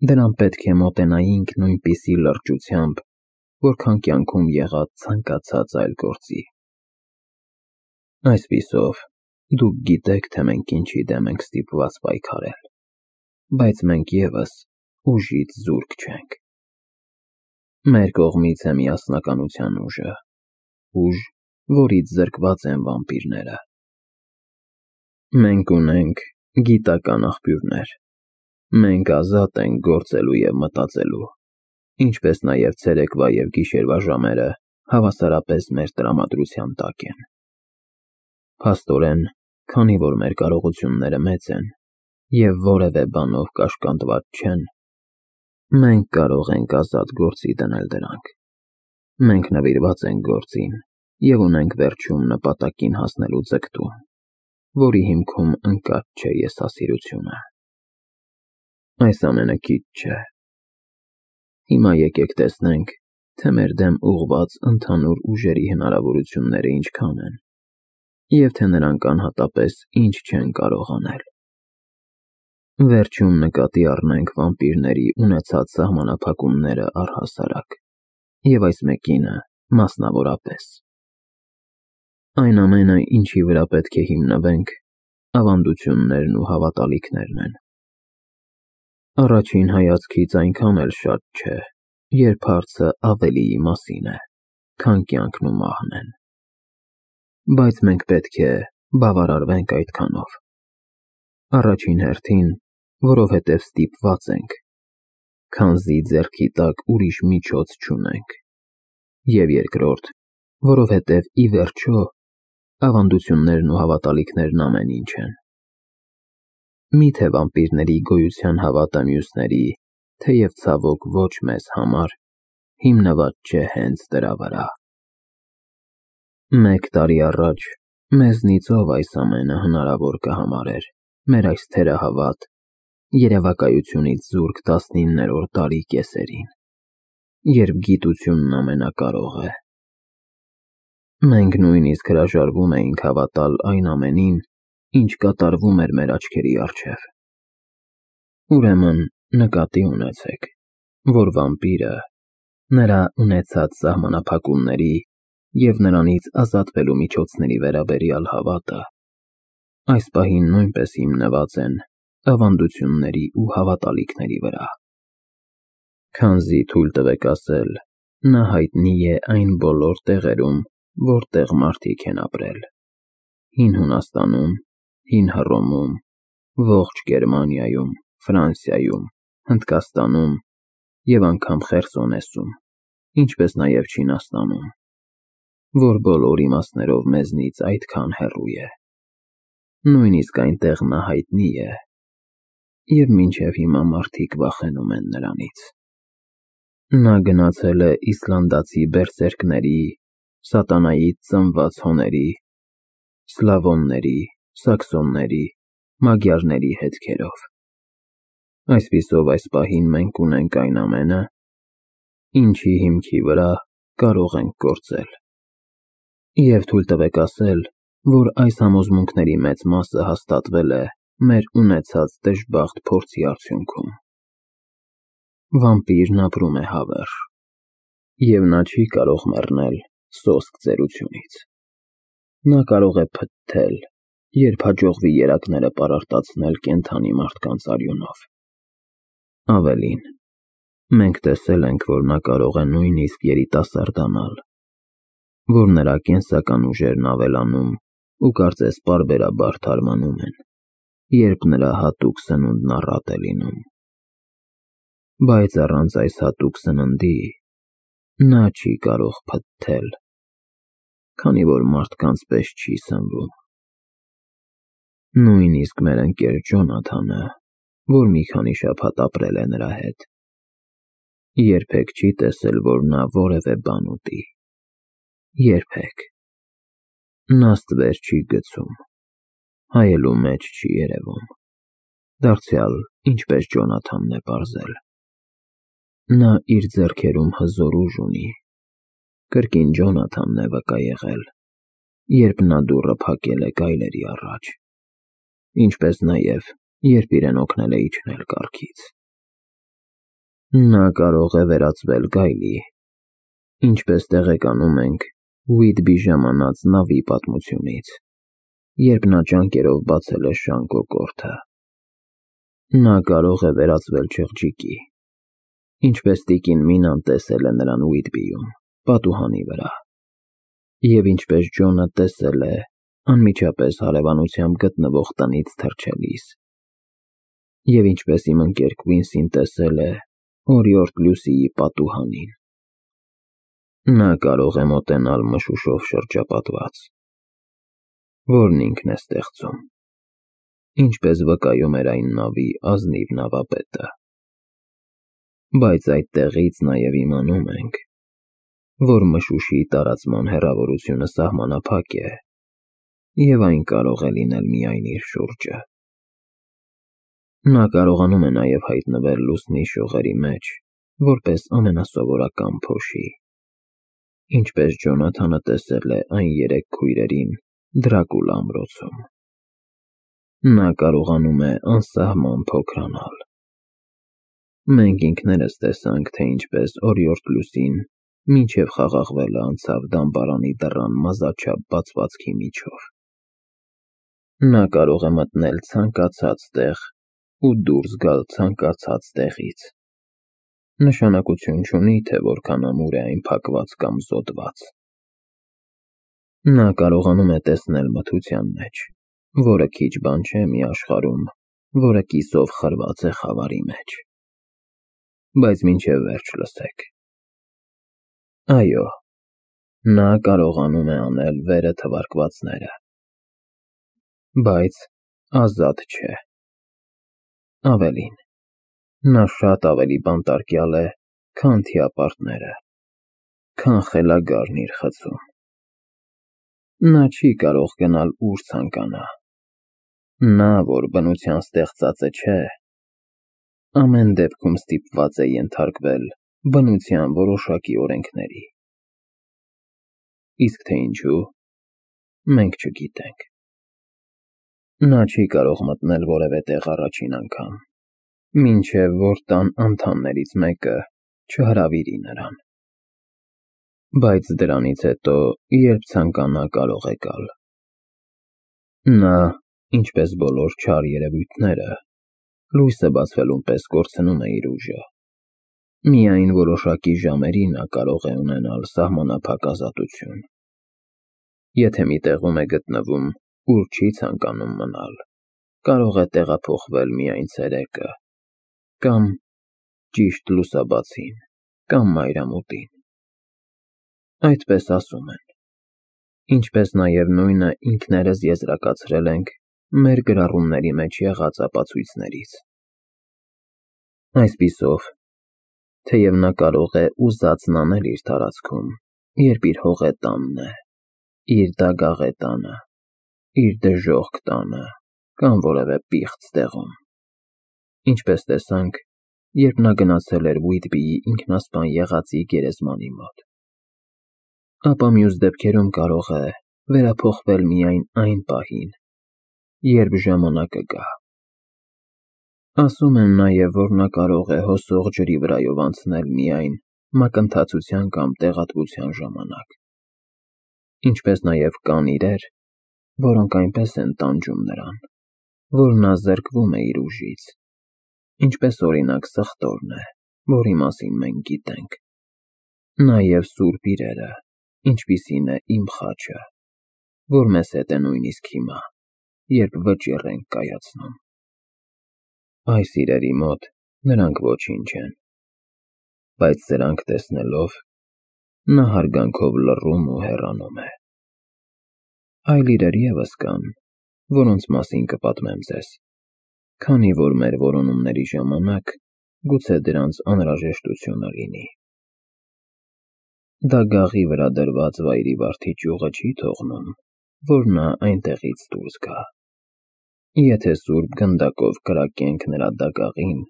Դրան պետք է մոտենայինք նույնպիսի լրջությամբ, որքան կյանքում եղած ցանկացած այլ գործի։ Այսպիսով, դուք գիտեք, թե մենք ինչի դեմ ենք ստիպված պայքարել, բայց մենք ևս ուժից զուրկ չենք։ Մեր կողմից է միասնականության ուժը, ուժ, որից զրկված են վամպիրները։ Մենք ունենք գիտական աղբյուրներ, մենք ազատ ենք գործելու և մտածելու, ինչպես նաև ցերեկվա և գիշերվա ժամերը հավասարապես մեր տրամադրության տակ են։ Փաստորեն, քանի որ մեր կարողությունները մեծ են և որևէ բանով կաշկանդված չեն, մենք կարող ենք ազատ գործի դնել դրանք։ Մենք նվիրված ենք գործին և ունենք վերջում նպատակին հասնելու ձգտում, որի հիմքում ընկած չէ եսասիրությունը։ Այս ամենը քիչ չէ։ Հիմա եկեք տեսնենք, թե մեր դեմ ուղղված ընդհանուր ուժերի հնարավորությունները ինչքան են, և թե նրանք անհատապես ինչ չեն կարող անել։ Վերջում նկատի առնենք վամպիրների ունեցած սահմանափակումները առհասարակ, և այս մեկինը մասնավորապես։ Այն ամենը, ինչի վրա պետք է հիմնվենք, ավանդություններն ու հավատալիքներն են։ Առաջին հայացքից այնքան էլ շատ չէ, երբ հարցը ավելիի մասին է, քան կյանքն ու մահն են։ Բայց մենք պետք է բավարարվենք այդքանով։ Առաջին հերթին, որովհետև ստիպված ենք, քանզի ձեռքի տակ ուրիշ միջոց չունենք, և երկրորդ, որովհետև ի վերջո ավանդություններն ու հավատալիքներն ամեն ինչ են։ Միթե վամպիրների գոյության հավատը մյուսների, թեև ցավոք ոչ մեզ համար, հիմնված չէ հենց դրա վրա։ 1 տարի առաջ մեզնից ով այս ամենը հնարավոր կհամարեր մեր այս թերահավատ, երևակայությունից զուրկ 19-րդ դարի կեսերին, երբ գիտությունն ամենակարող է։ Մենք նույնիսկ հրաժարվում էինք հավատալ այն ամենին, ինչ կատարվում էր մեր աչքերի առջև։ Ուրեմն նկատի ունեցեք, որ վամպիրը, նրա ունեցած սահմանափակումների և նրանից ազատվելու միջոցների վերաբերյալ հավատը այս պահին նույնպես հիմնված են ավանդությունների ու հավատալիքների վրա։ Քանզի թույլ տվեք ասել, նա հայտնի է այն բոլոր տեղերում, որտեղ մարդիկ են ապրել. Հին Հունաստանում, Հին Հռոմում, ողջ Գերմանիայում, Ֆրանսիայում, Հնդկաստանում և անգամ Խերսոնեսում, ինչպես նաև Չինաստանում, որ բոլոր իմաստներով մեզնից այդքան հեռու է։ Նույնիսկ այնտեղ նա հայտնի է, և մինչև հիմա մարդիկ վախենում են նրանից։ Նա գնացել է իսլանդացի բերսերքների, սատանայից ծնված հոների, սլավոնների, սաքսոնների, մագիարների հետքերով։ Այսպիսով այս պահին մենք ունենք այն ամենը, ինչի հիմքի վրա կարող ենք գործել։ Եվ թույլ տվեք ասել, որ այս համոզմունքների մեծ մասը հաստատվել է մեր ունեցած դժբախտ փորձի արդյունքում։ Վամպիրն ապրում է հավերժ, և նա չի կարող մեռնել սոսկ ծերությունից։ Նա կարող է փթթել, երբ հաջողվի երակները պարարտացնել կենդանի մարդկանց արյունով։ Ավելին, մենք տեսել ենք, որ նա կարող է նույնիսկ երիտասարդանալ, որ նրա կենսական ուժերն ավելանում ու կարծես պարբերաբար թարմանում են, երբ նրա հատուկ սնունդն առատ է լինում։ Բայց առանց այս հատուկ սննդի նա չի կարող փթթել, քանի որ մարդկանց պես չի սնվում։ Նույնիսկ մեր ընկեր Ջոնաթանը, որ մի քանի շաբաթ ապրել է նրա հետ, երբեք չի տեսել, որ նա որևէ բան ուտի։ Երբեք։ Նա ստվեր չի գցում, հայելու մեջ չի երևում, դարձյալ ինչպես Ջոնաթանն է պարզել։ Նա իր ձեռքերում հզոր ուժ ունի, կրկին Ջոնաթանն է վկա եղել, երբ նա դուռը փակել է գայլերի առաջ, ինչպես նաև երբ իրեն օգնել է իջնել կառքից։ Նա կարող է վերածվել գայլի, ինչպես տեղեկանում ենք Ուիթբի ժամանած նավի պատմությունից, երբ նա ջանքերով բացել է շան կոկորդը։ Նա կարող է վերածվել չղջիկի, ինչպես տիկին Մինան տեսել է նրան Ուիթբիում, պատուհանի վրա, և ինչպես Ջոնը տեսել է անմիջապես հարևանությամբ գտնվող տնից թռչելիս, և ինչպես իմ ընկեր Քվինսին տեսել է օրիորդ Լյուսիի պատուհանին։ Նա կարող է մոտենալ մշուշով շրջապատված, որն ինքն է ստեղծում, ինչպես վկայում էր այն նավի ազնիվ նավապետը։ Բայց այդտեղից նաև իմանում ենք, որ մշուշի տարածման հեռավորությունը սահմանափակ է, և այն կարող է լինել միայն իր շուրջը։ Նա կարողանում է նաև հայտնվել լուսնի շողերի մեջ որպես ամենասովորական փոշի, ինչպես Ջոնաթանը տեսել է այն 3 քույրերին Դրակուլա ամրոցում։ Նա կարողանում է անսահման փոքրանալ։ Մենք ինքներս տեսանք, թե ինչպես օրիորդ Լյուսին մինչև խաղաղվելը անցավ դամբարանի դռան մազաչափ բացվածքի միջով։ Նա կարող է մտնել ցանկացած տեղ ու դուրս գալ ցանկացած տեղից։ Նշանակություն չունի, թե որքան ամուր է այն փակված կամ զոդված։ Նա կարողանում է տեսնել մթության մեջ, որը քիչ բան չէ մի աշխարհում, որը կիսով խրված է խավարի մեջ։ Բայց մինչև վերջ լսեք։ Այո, նա կարողանում է անել վերը թվարկվածները, բայց ազատ չէ։ Ավելին, նա շատ ավելի բանտարկյալ է, քան թիապարտները, քան խելագարն իր խցում։ Նա չի կարող գնալ ուր ցանկանա։ Նա, որ բնության ստեղծածը չէ, ամեն դեպքում ստիպված է ենթարկվել բնության որոշակի օրենքների։ Իսկ թե ինչու, մենք չգիտենք։ Նա չի կարող մտնել որևէ տեղ առաջին անգամ, մինչև որ տան անդամներից մեկը չհրավիրի նրան։ Բայց դրանից հետո, երբ ցանկանա, կարող է գալ։ Նա, ինչպես բոլոր չար երևույթները, լույսը բացվելուն պես կորցնում է իր ուժը։ Միայն որոշակի ժամերի նա կարող է ունենալ սահմանափակ ազատություն։ Եթե մի տեղում է գտնվում, ուր չի ցանկանում մնալ, կարող է տեղափոխվել միայն ցերեկը, կամ ճիշտ լուսաբացին, կամ մայրամուտին։ Այդպես ասում են, ինչպես նաև նույնը ինքներս եզրակացրել ենք մեր գրառումների մեջ եղած ապացույցներից։ Այսպիսով, թեև նա կարող է ուզածն անել իր տարածքում, երբ իր հողետանն է, իր դագաղետանը, իր դժոխք տանը, կամ որևէ պիղծ տեղում, ինչպես տեսանք, երբ նա գնացել էր Ուիթբիի ինքնասպան եղածի գերեզմանի մոտ, ապա մյուս դեպքերում կարող է վերափոխվել միայն այն պահին, երբ ժամանակը գա։ Ասում են նաև, որ նա կարող է հոսող ջրի վրայով անցնել միայն մակընթացության կամ տեղատվության ժամանակ, ինչպես նաև կան իրեր, որոնք այնպես են տանջում նրան, որ նա զրկվում է իր ուժից, ինչպես օրինակ սխտորն է, որի մասին մենք գիտենք, նաև սուրբ իրերը, ինչպիսին է իմ խաչը, որ մեզ հետ է նույնիսկ հիմա, երբ վճիռ ենք կայացնում։ Այս իրերի մոտ նրանք ոչինչ են, բայց սրանք տեսնելով, նա հարգանքով լռում ու հեռանում է։ Այլ իրեր ևս կան, որոնց մասին կպատմեմ ձեզ, քանի որ մեր որոնումների ժամանակ գուցե դրանց անհրաժեշտությունը լինի։ Դագաղի վրա դրված վայրի վարդի ճյուղը չի թողնում, որ նա այնտեղից դուրս գա։ Եթե սուրբ գնդակով կրակենք նրա դագաղին,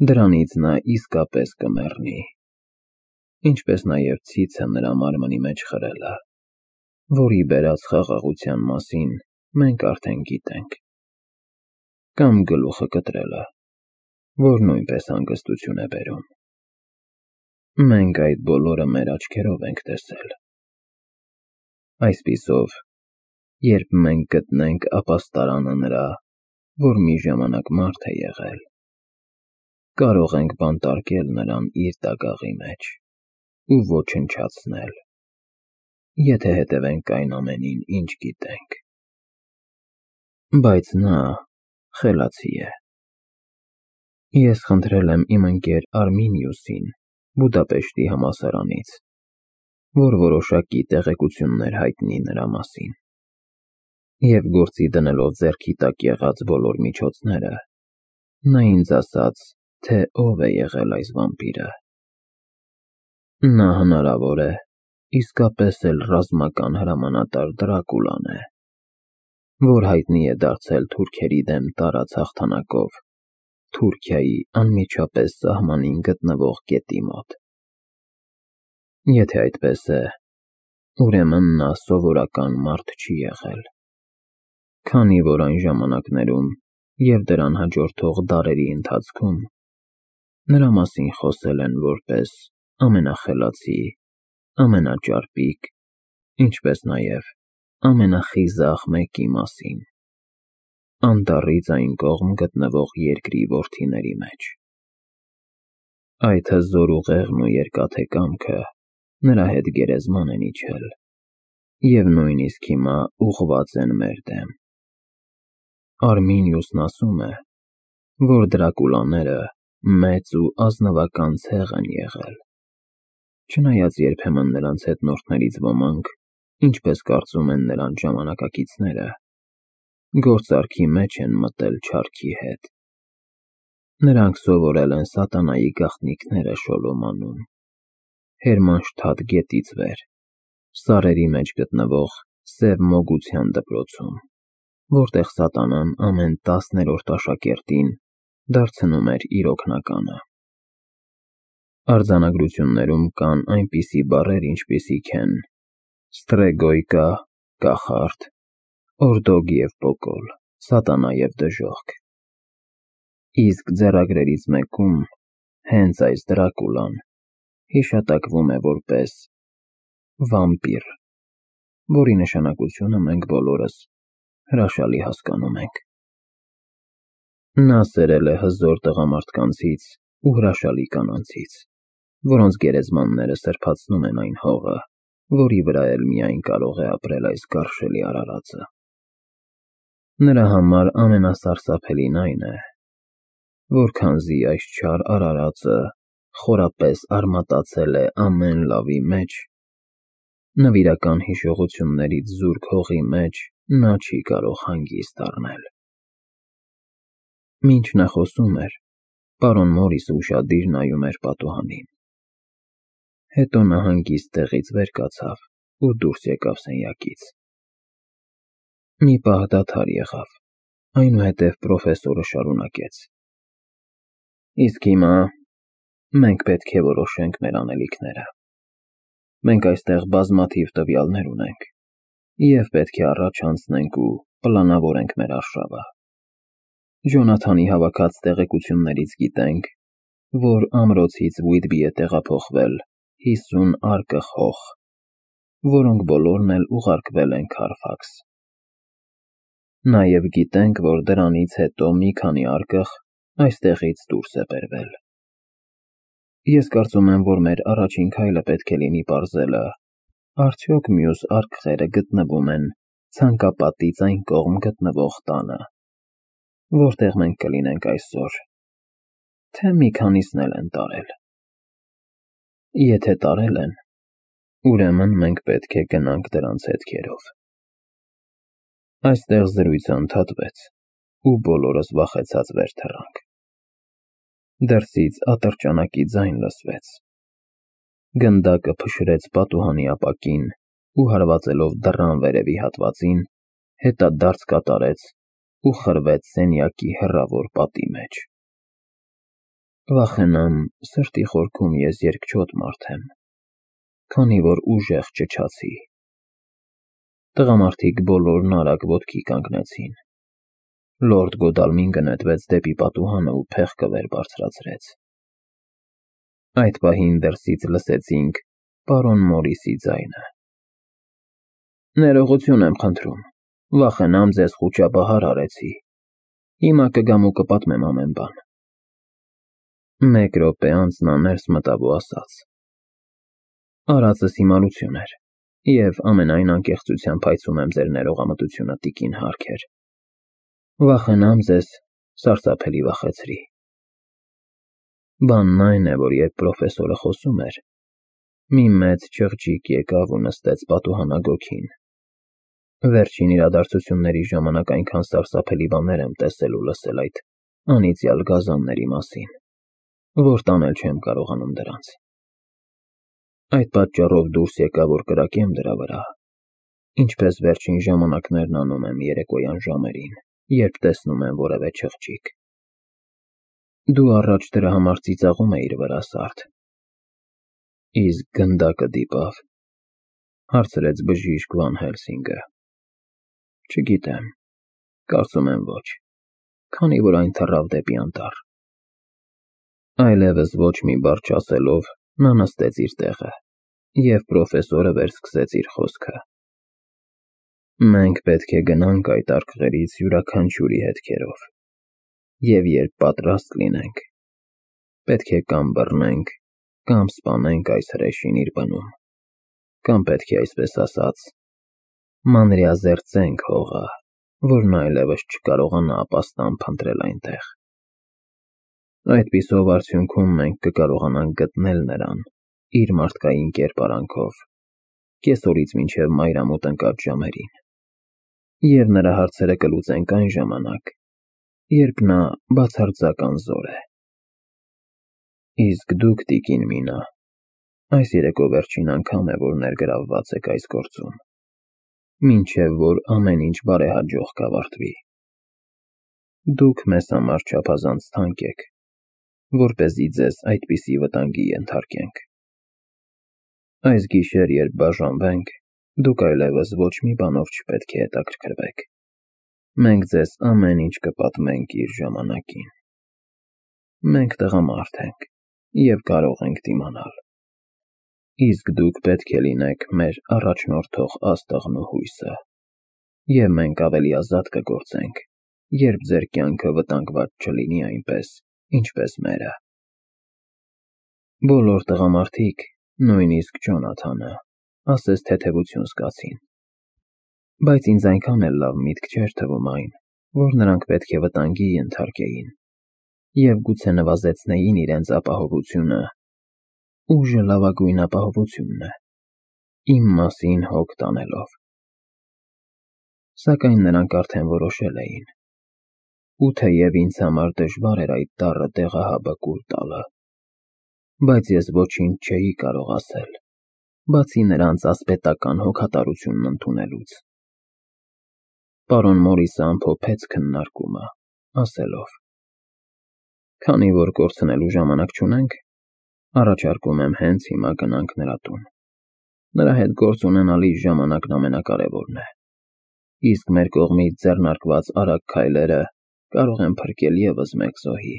դրանից նա իսկապես կմեռնի, ինչպես նաև ցիցը նրա մարմնի մեջ խրելը, որի բերած խաղաղության մասին մենք արդեն գիտենք, կամ գլուխը կտրելը, որ նույնպես հանգստություն է բերում։ Մենք այդ բոլորը մեր աչքերով ենք տեսել։ Այսպիսով, երբ մենք գտնենք ապաստարանը նրա, որ մի ժամանակ մարդ է եղել, կարող ենք բանտարկել նրան իր դագաղի մեջ ու ոչնչացնել, եթե հետևենք այն ամենին, ինչ գիտենք։ Բայց նա խելացի է։ Ես խնդրել եմ իմ ընկեր Արմինիուսին Բուդապեշտի համալսարանից, որ որոշակի տեղեկություններ հայտնի նրա մասին, և գործի դնելով ձեռքի տակ եղած բոլոր միջոցները, նա ինձ ասաց, թե ով է եղել այս վամպիրը։ Նա հնարավոր է իսկապես էլ ռազմական հրամանատար Դրակուլան է, որ հայտնի է դարձել թուրքերի դեմ տարած հաղթանակով Թուրքիայի անմիջապես սահմանին գտնվող գետի մոտ։ Եթե այդպես է, ուրեմն նա սովորական մարդ չի եղել, քանի որ այն ժամանակներում և դրան հաջորդող դարերի ընթացքում նրա մասին խոսել են որպես ամենախելացի, ամենաճարպիկ, ինչպես նաև ամենախիզախ մեկի մասին անտառից այն կողմ գտնվող երկրի որդիների մեջ։ Այդ հզոր ուղեղն ու երկաթե կամքը նրա հետ գերեզման են իջել և նույնիսկ հիմա ուղղված են մեր դեմ։ Արմինիուսն ասում է, որ Դրակուլաները մեծ ու ազնվական ցեղ են եղել, չնայած երբեմն նրանց հետնորդներից ոմանք, ինչպես կարծում են նրանց ժամանակակիցները, գործարքի մեջ են մտել չարքի հետ։ Նրանք սովորել են սատանայի գաղտնիքները Շոլոմանում, Հերմանշթադ գետից վեր, սարերի մեջ գտնվող Սև Մոգության դպրոցում, որտեղ սատանան ամեն 10-րդ աշակերտին դարձնում էր իր օգնականը։ Արձանագրություններում կան այնպիսի բառեր, ինչպիսիք են ստրեգոյկա, կախարդ, օրդոգ և պոկոլ, սատանա և դժոխք։ Իսկ ձեռագրերից մեկում հենց այս Դրակուլան հիշատակվում է որպես վամպիր, որի նշանակությունը մենք բոլորս հրաշալի հասկանում ենք։ Նա սերել է հզոր տղամարդկանցից ու հրաշալի կանանցից, որոնց գերեզմանները սրբացնում են այն հողը, որի վրա էլ միայն կարող է ապրել այս գարշելի արարածը։ Նրա համար ամենասարսափելին այն է, որ քանզի այս չար արարածը խորապես արմատացել է ամեն լավի մեջ, նվիրական հիշողություններից զուրկ հողի մեջ նա չի կարող հանգիստ առնել։ Մինչ նա խոսում էր, պարոն Մորիսը ուշադիր նայում էր պատուհանին։ Հետո նա հանգիստ տեղից վեր կացավ ու դուրս եկավ սենյակից։ Մի պահ դադար եղավ, այնուհետև պրոֆեսորը շարունակեց. Իսկ հիմա մենք պետք է որոշենք մեր անելիքները։ Մենք այստեղ բազմաթիվ տվյալներ ունենք և պետք է առաջ անցնենք ու պլանավորենք մեր արշավը։ Ջոնաթանի հավաքած տեղեկություններից գիտենք, որ ամրոցից Վհիթբի է տեղափոխվել 50 արկղ հող, որոնք բոլորն էլ ուղարկվել են Քարֆաքս։ Նաև գիտենք, որ դրանից հետո մի քանի արկղ այստեղից դուրս է բերվել։ Ես կարծում եմ, որ մեր առաջին քայլը պետք է լինի պարզելը, արդյոք մյուս արկղերը գտնվում են ցանկապատից այն կողմ գտնվող տանը, որտեղ մենք կլինենք այսօր, թե մի քանիսն էլ են տարել։ Եթե տարել են, ուրեմն մենք պետք է գնանք դրանց հետքերով։ Այստեղ զրույցը ընդհատվեց, ու բոլորս վախեցած վեր թռանք։ Դրսից ատրճանակի ձայն լսվեց։ Գնդակը փշրեց պատուհանի ապակին ու հարվածելով դռան վերևի հատվածին, հետադարձ կատարեց ու խրվեց սենյակի հեռավոր պատի մեջ։ Վախենամ, սրտի խորքում ես երկչոտ մարդ եմ, քանի որ ուժեղ ճչացի։ Տղամարդիկ բոլորն արագ ոտքի կանգնեցին։ Լորդ Գոդալմինգը նետվեց դեպի պատուհանը ու փեղկը վեր բարձրացրեց։ Այդ պահին դրսից լսեցինք պարոն Մորիսի ձայնը. «Ներողություն եմ խնդրում, վախենամ ձեզ խուճապահար արեցի, հիմա կգամ ու կպատմեմ ամեն բան»։ Մեկ րոպե անց նա ներս մտավ ու ասաց. «Արածս հիմարություն էր, և ամենայն անկեղծությամբ հայցում եմ ձեր ներողամտությունը, տիկին Հարքեր։ Վախենամ ձեզ սարսափելի վախեցրի։ Բանն այն է, որ երբ պրոֆեսորը խոսում էր, մի մեծ չղջիկ եկավ ու նստեց պատուհանագոգին։ Վերջին իրադարձությունների ժամանակ այնքան սարսափելի բաներ եմ տեսել ու լսել այդ անիծյալ գազանների մասին, որ տանել չեմ կարողանում դրանց։ Այդ պատճառով դուրս եկա, որ կրակեմ դրա վրա, ինչպես վերջին ժամանակներն անում եմ երեկոյան ժամերին, երբ տեսնում եմ որևէ չղջիկ։ Դու առաջ դրա համար ծիծաղում էիր վրա, Սարդ։ Իսկ գնդակը դիպավ, հարցրեց բժիշկ Վան Հելսինգը։ Չգիտեմ, կարծում եմ ոչ, քանի որ այն թռավ դեպի անտառ։ Այլևս ոչ մի բառ չասելով, նա նստեց իր տեղը, և պրոֆեսորը վերսկսեց իր խոսքը։ Մենք պետք է գնանք այդ արկղերից յուրաքանչյուրի հետքերով, և երբ պատրաստ լինենք, պետք է կամ բռնենք, կամ սպանենք այս հրեշին իր բնում, կամ պետք է այսպես ասած, մանրեազերծենք հողը, որն այլևս չկարողանա ապաստան փնտրել այնտեղ։ Այդպիսով արդյունքում մենք կկարողանանք գտնել նրան իր մարդկային կերպարանքով, կեսօրից մինչև մայրամուտ ընկած ժամերին, և նրա հարցերը կլուծենք այն ժամանակ, երբ նա բացարձակ անզոր է։ Իսկ դուք, տիկին Մինա, այս երեկո վերջին անգամ է, որ ներգրավված եք այս գործում, մինչև որ ամեն ինչ բարեհաջող կավարտվի։ Դուք մեզ համար չափազանց թանկ եք, որպեսզի ձեզ այդպիսի վտանգի ենթարկենք։ Այս գիշեր, երբ բաժանվենք, դուք այլևս ոչ մի բանով չպետք է հետաքրքրվեք։ Մենք ձեզ ամեն ինչ կպատմենք իր ժամանակին։ Մենք տղամարդ ենք և կարող ենք դիմանալ։ Իսկ դուք պետք է լինեք մեր առաջնորդող աստղն ու հույսը, և մենք ավելի ազատ կգործենք, երբ ձեր կյանքը վտանգված չլինի այնպես, ինչպես մերը։ Բոլոր տղամարդիկ, նույնիսկ Ջոնաթանը, ասես թեթևություն զգացին, բայց ինձ այնքան էլ լավ միտք չէր թվում այն, որ նրանք պետք է վտանգի ենթարկեին և գուցե նվազեցնեին իրենց ապահովությունը։ Ուժը լավագույն ապահովությունն է, իմ մասին հոգ տանելով։ Սակայն նրանք արդեն որոշել էին, ու թեև ինձ համար դժվար էր այդ տառը տեղահաբը կուլ տալը, բայց ես ոչինչ չէի կարող ասել, բացի նրանց ասպետական հոգատարությունն ընդունելուց։ Պարոն Մորիսը ամփոփեց քննարկումը, ասելով. Քանի որ կորցնելու ժամանակ չունենք, առաջարկում եմ հենց հիմա գնանք նրա տուն։ Նրա հետ գործ ունենալիս ժամանակն ամենակարևորն է, իսկ մեր կողմից ձեռնարկված արագ քայլերը կարող են փրկել ևս մեկ զոհի։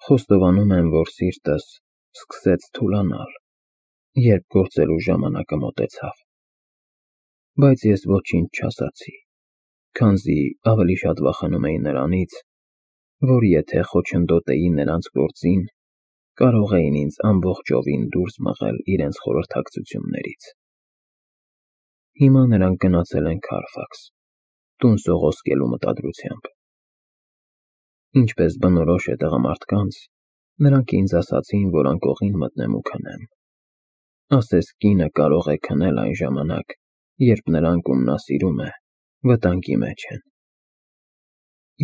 Խոստովանում եմ, որ սիրտս սկսեց թուլանալ, երբ գործելու ժամանակը մոտեցավ, բայց ես ոչինչ չասացի, քանզի ավելի շատ վախենում էի նրանից, որ եթե խոչընդոտեի նրանց գործին, կարող էին ինձ ամբողջովին դուրս մղել իրենց խորհրդակցություններից։ Հիմա նրանք գնացել են Քարֆաքս, տուն սողոսկելու մտադրությամբ։ Ինչպես բնորոշ է տղամարդկանց, նրանք ինձ ասացին, որ անկողին մտնեմ ու քնեմ։ Ասես կինը կարող է քնել այն ժամանակ, երբ նրանք, ում նա սիրում է, վտանգի մեջ են։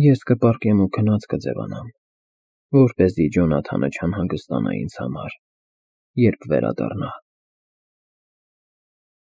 Ես կպառկեմ ու քնած կձևանամ, որպեսզի Ջոնաթանը չանհանգստանա ինձ համար, երբ վերադառնա։